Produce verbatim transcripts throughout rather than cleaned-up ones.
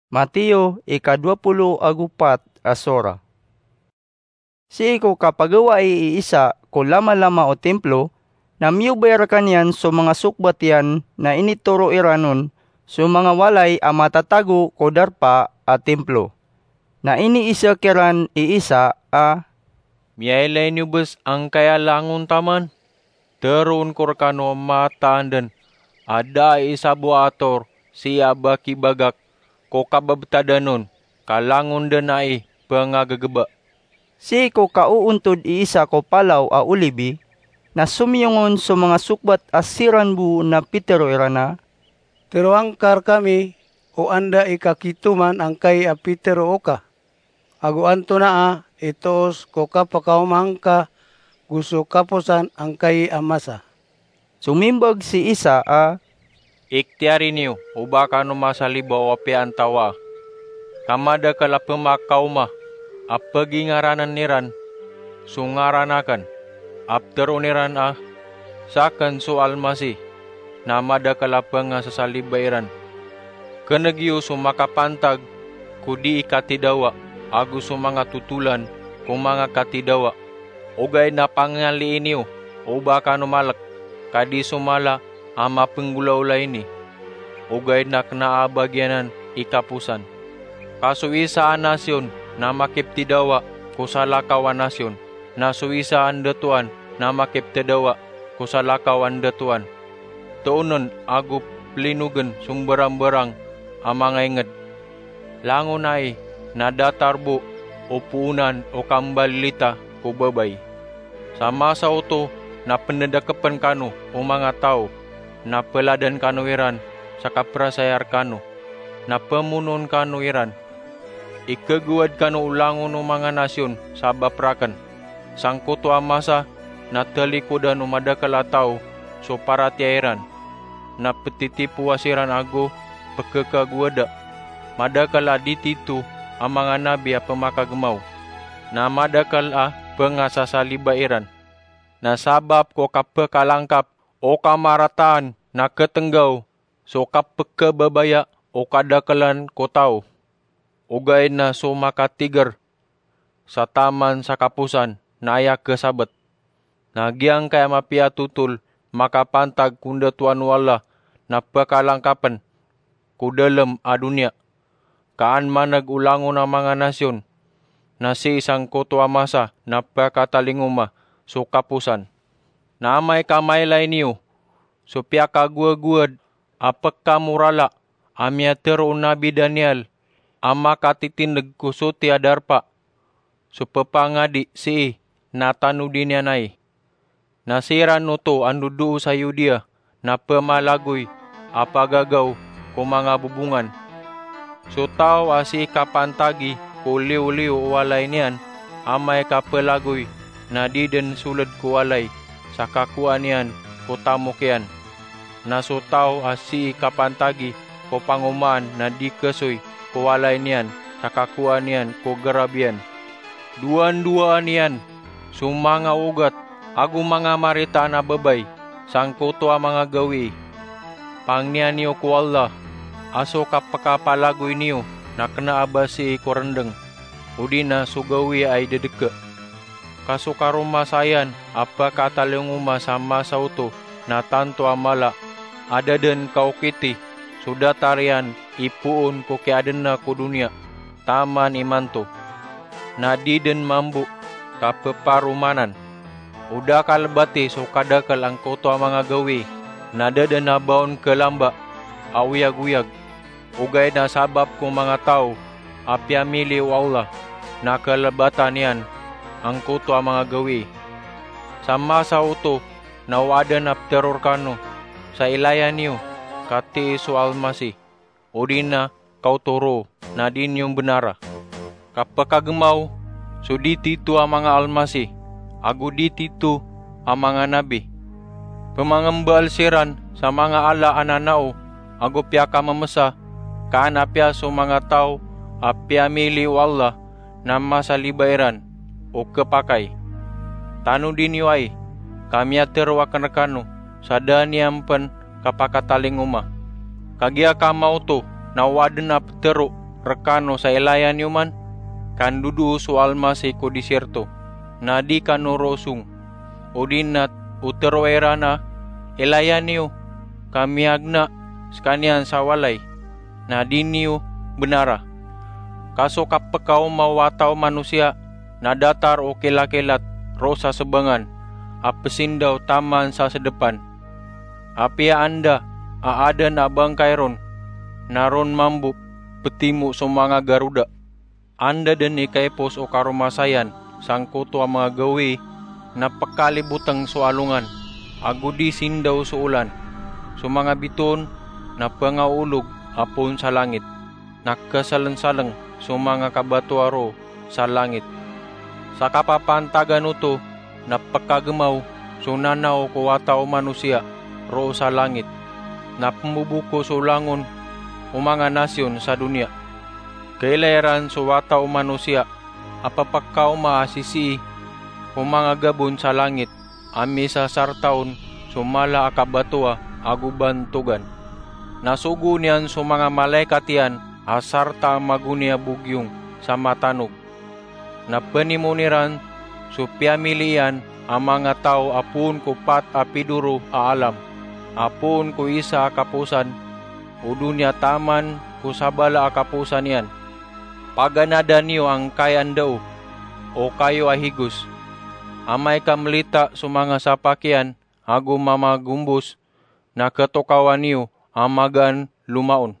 Mateo ika dowa polo ago pat a sora. Sii ko kapagawai i Isa ko lama-lama o Timplo, na miyobay rkaniyan iyan so manga sokbat iyan na initoro iran on so manga walay a matatago ko darpa a Timplo. Na iniisa kiran i Isa a, "Miyailay niyo bes angkaya langon taman? Teroon ko rkano a mataan den a da i isa bo a ator sii a bakibagak ko kababtadan on, ka langon den ai pengagegeba." Sii ko kaoontod i Isa ko Palaw a Olibi, na somiyong on so manga sokbat a siran bo na pitero iran a, "Teroa ngka rkami o anda i kakitoman angkai a piteroa ka, ago antonaa i toos ko kapekaoma ngka go so kaposan angkai a masa?" Somimbag si Isa a, "Iktiyari niyo o ba kano masaliba o apiya antawaa, ka madakel a pemakaoma a pegingaranen iran so ngaran aken, a peteroon iran a, 'Saken so Almasih,' na madakel a pengasasaliba iran. Keneg iyo so makapantag ko dii katidawa, ago so manga totolan ko manga katidawa. Ogaid na pangalii niyo o ba kano malek, ka di so mala a mapenggolaola ini, ogaid na kena a bagianan i kaposan. Ka so isa a nasyon na makiptidawa ko salakaw a nasyon, na so isa a ndatoan na makiptedawa ko salakaw a ndatoan. Toonen ago plinogen so mbarambarang a mangainged. Langon ai na datar bo o poonan o kambalilita ko babay. Sa masa oto na pendedakepen kano o manga taw, na peladen kano iran sa kaperasaya rekano, na pemonoon kano iran. Ikegowad kano o langon o manga nasyon sabap raken. Sangkoto a masa na talikodan o madakel a taw so paratiyaya iran, na petitipowa siran ago pekekagowada. Madakel a di tito a manga nabi a pemakagemaw, na madakel a pengasasaliba iran. Na sabap ko kapekalangkap o kamarataan na ketenggaw so kapekebabaya o kadakelen ko taw. Ogaid na so makatiger sa taman sa kaposan na aya kesabet. Na giyangkaya mapiya a totol makapantag ko ndatoan o Allah na pekalangkapen ko dalem a doniya. Ka an maneg o langon a manga nasyon, na sii sangkoto a masa na pekatalingoma so kaposan. Na amay ka mailay niyo so piyakagowagowad a pekamorala a miyatero o Nabi Daniel a makatitindeg ko soti a darpa, so pepangadi sii na tanodi niyan ai. Na siran oto a ndodoo sa Yudea na pemalagoy a pagagaw ko manga bobongan. So taw a sii kapantagi ko liyoliyo o walay niyan, amay ka pelagoy na di den soled ko walay sa kakowaan iyan ko tamok iyan. Na so taw a sii kapantagi ko pangomaan na di kesoy ko walay niyan sa kakowaan iyan ko gerab iyan. Dowan-dowaan iyan so manga ogat ago manga maritaan a babay sangkoto a manga gawii. Pangniya niyo ko Allah a so kapekapalagoy niyo na kena a ba sii ko rendeng, odi na so gawii a idedeke. Ka so karomasayan a pekatalingoma sa masa oto na tanto a mala a da den kaokiti so datar iyan ipoon ko kiyaadena ko doniya taman imanto. Na di den mambo ka peparomanan. O da kalebati so kadakel angkoto a manga gawii, na da den a ba on kelamba a oyagoyag. Ogaid na sabap ko manga taw a piyamili o Allah na kalebatan iyan angkoto a manga gawii. Sa masa oto na o aden a petero rekano sa ilaya niyo katii so Almasih, odi na kaotoro na di niyo mbenara. Kapekagemaw so di tito a manga almasih ago di tito a manga nabi. Pemangembaal siran sa manga ala a nanao ago piyakamemesa, ka an apiya so manga taw a piyamili o Allah na masaliba iran o kepakay. Tanodi niyo ai ka miyatero aken rekano sa da niyan pen kapakatalingoma. Kagiya kamaoto na o aden a petero rekano sa ilaya niyo man? Kandodoo so Almasih ko disirto, na di kano roo song. Odi na o teroa iran a, ilaya niyo, ka miyagna sekaniyan sa walay, na di niyo benara. Ka so kapekaoma o Wata o Manosiya na datar o kilakilat roo sa sebangan a pesindaw taman sa sedepan. Apiya anda a aden a bangkay ron, na ron mambo petimo so manga garoda. Anda den ikaipos o karomasayan sangkoto a manga gawii, na pekaliboteng so alongan, ago di sindaw so olan. So manga bitoon na pengaolog a poon sa langit, na kesalensaleng so manga kabatoa roo sa langit. Sa kapapantagan oto na pekagemaw so nanaw ko Wata o Manosiya roo sa langit, na pemboboko so langon o manga nasiyon sa doniya. Kailay iran so Wata o Manosiya a pepekaoma a sisii ko manga gabon sa langit a misasarta on so mala a kabatoa ago bantogan. Na sogoon iyan so manga malaikat iyan a sarta a magoni a bogiyong sa matanog. Na penimon iran so piyamili iyan a manga taw a poon ko pat a pidoro a alam, a poon ko isa a kaposan o doniya taman ko sabala a kaposan iyan. Paganada niyo angkai a ndao, o kayo a higos. Amay ka melita so manga sapak iyan ago mamagombos, na ketokawan iyo a magaan lomaon.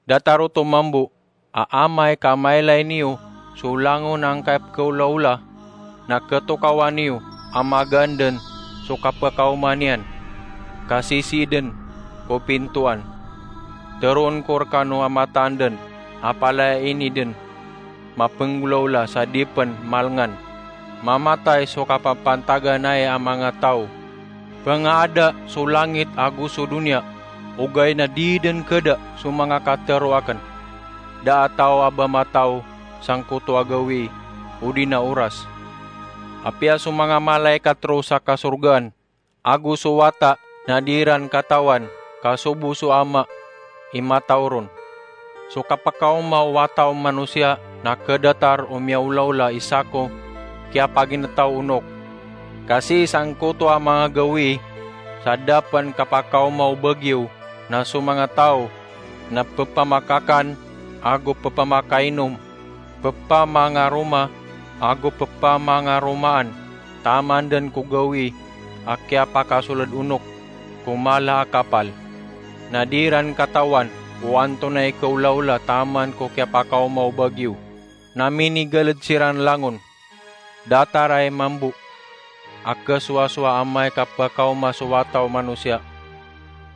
Datar oto mambo a amay ka mailay niyo so langon angkai a pekeolaola, na ketokawan iyo a magaan den so kapekaoma niyan, ka sisii den ko pintoan. Teroon ko rekano a mataan den a palaya ini den mapenggolaola sa di pen malengan. Mamatay so kapapantagan ai a manga taw. Pengaada so langit ago so doniya, ogaid na di den keda so manga katero aken. Da a taw a ba mataw sangkoto a gawii odi na oras. Apiya so manga malaikat roo sa kasorgaan ago so Wata na di iran katawan ka sobo so Ama i mataw ron. So kapakaoma o Wata o Manosiya na kedatar o miyaolaola i sako kiyapaginetaw onok. Kasi sangkoto a manga gawii, sa da pen kapakaoma o bagiyo, na so manga taw na pepamakakan ago pepamakainom, pepamangaroma ago pepamangaromaan taman den ko gawii a kiyapakasoled onok ko mala a kapal. Na di iran katawan o antonaa i kaolaola taman ko kiyapakaoma o bagiyo. Na minigaled siran langon. Datar ai mambo a kesowasowa amay ka pekaoma so Wata o Manosiya.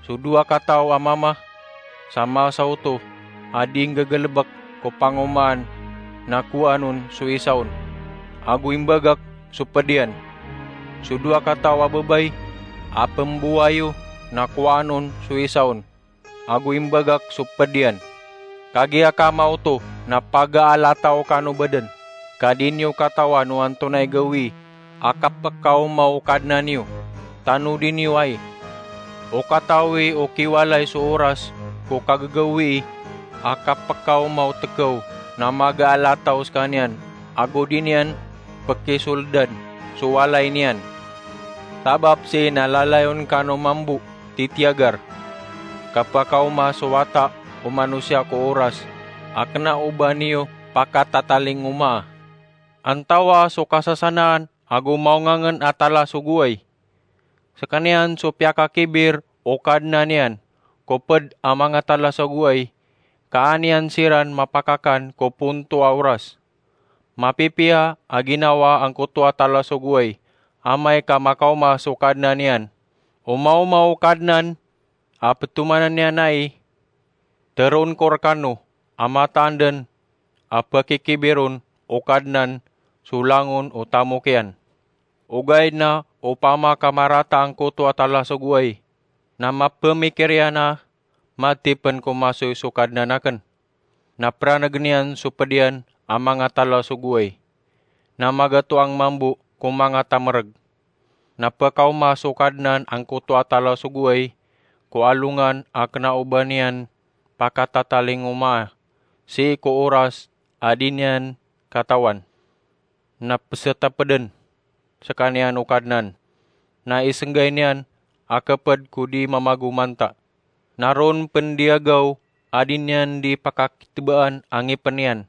So dowa kataw a mama sa masa oto a di nggegelebek ko pangomaan na kowaan on so isa on, ago imbagak so ped iyan. So dowa kataw a babay a pembowai iyo na kowaan on so isa on, ago imbagak so ped iyan. Kagiya ka maoto na pagaalataw kano baden, ka di niyo katawan o antonaa i gawii a kapekaoma o Kadnan iyo. Tanodi niyo ai. O katawi o kiwalay so oras ko kagagawii a kapekaoma o tekew na magaalataw sekaniyan, ago di niyan pekisoledan so walay niyan. Sabap sii na lalayon kano mambo titiyagar. Kapakaoma so Wata o Manosiya ko oras a kena o ba niyo pakatatalingomaa. Antawaa so kasasanaan ago mawngangen a talasogoway? Sekaniyan so piyakakibir o Kadnan iyan ko ped a manga talasogoway, ka an iyan siran mapakakan ko ponto a oras. Mapipiya a ginawa angkoto a talasogoway amay ka makaoma so Kadnan iyan. O maoma o Kadnan a petomanan iyan ai, teroon ko rekano a mataan den a pekikibiron o Kadnan so langon o tamok iyan. Ogaid na opama ka marata angkoto a talasogoway, na mapemikir iyan a matipen ko masoy so Kadnan aken. Na peranegen iyan so ped iyan a manga talasogoway. Na magatoang mambo ko manga tamereg. Na pekaoma so Kadnan angkoto a talasogoway ko alongan a kena o ba niyan pakatatalingomaa. sii ko oras a di niyan katawan, na pesetapeden sekaniyan o Kadnan, na isenggay niyan a keped ko di mamagomanta. Na ron pen di agaw a di niyan di pakakitebaan a ngipen iyan,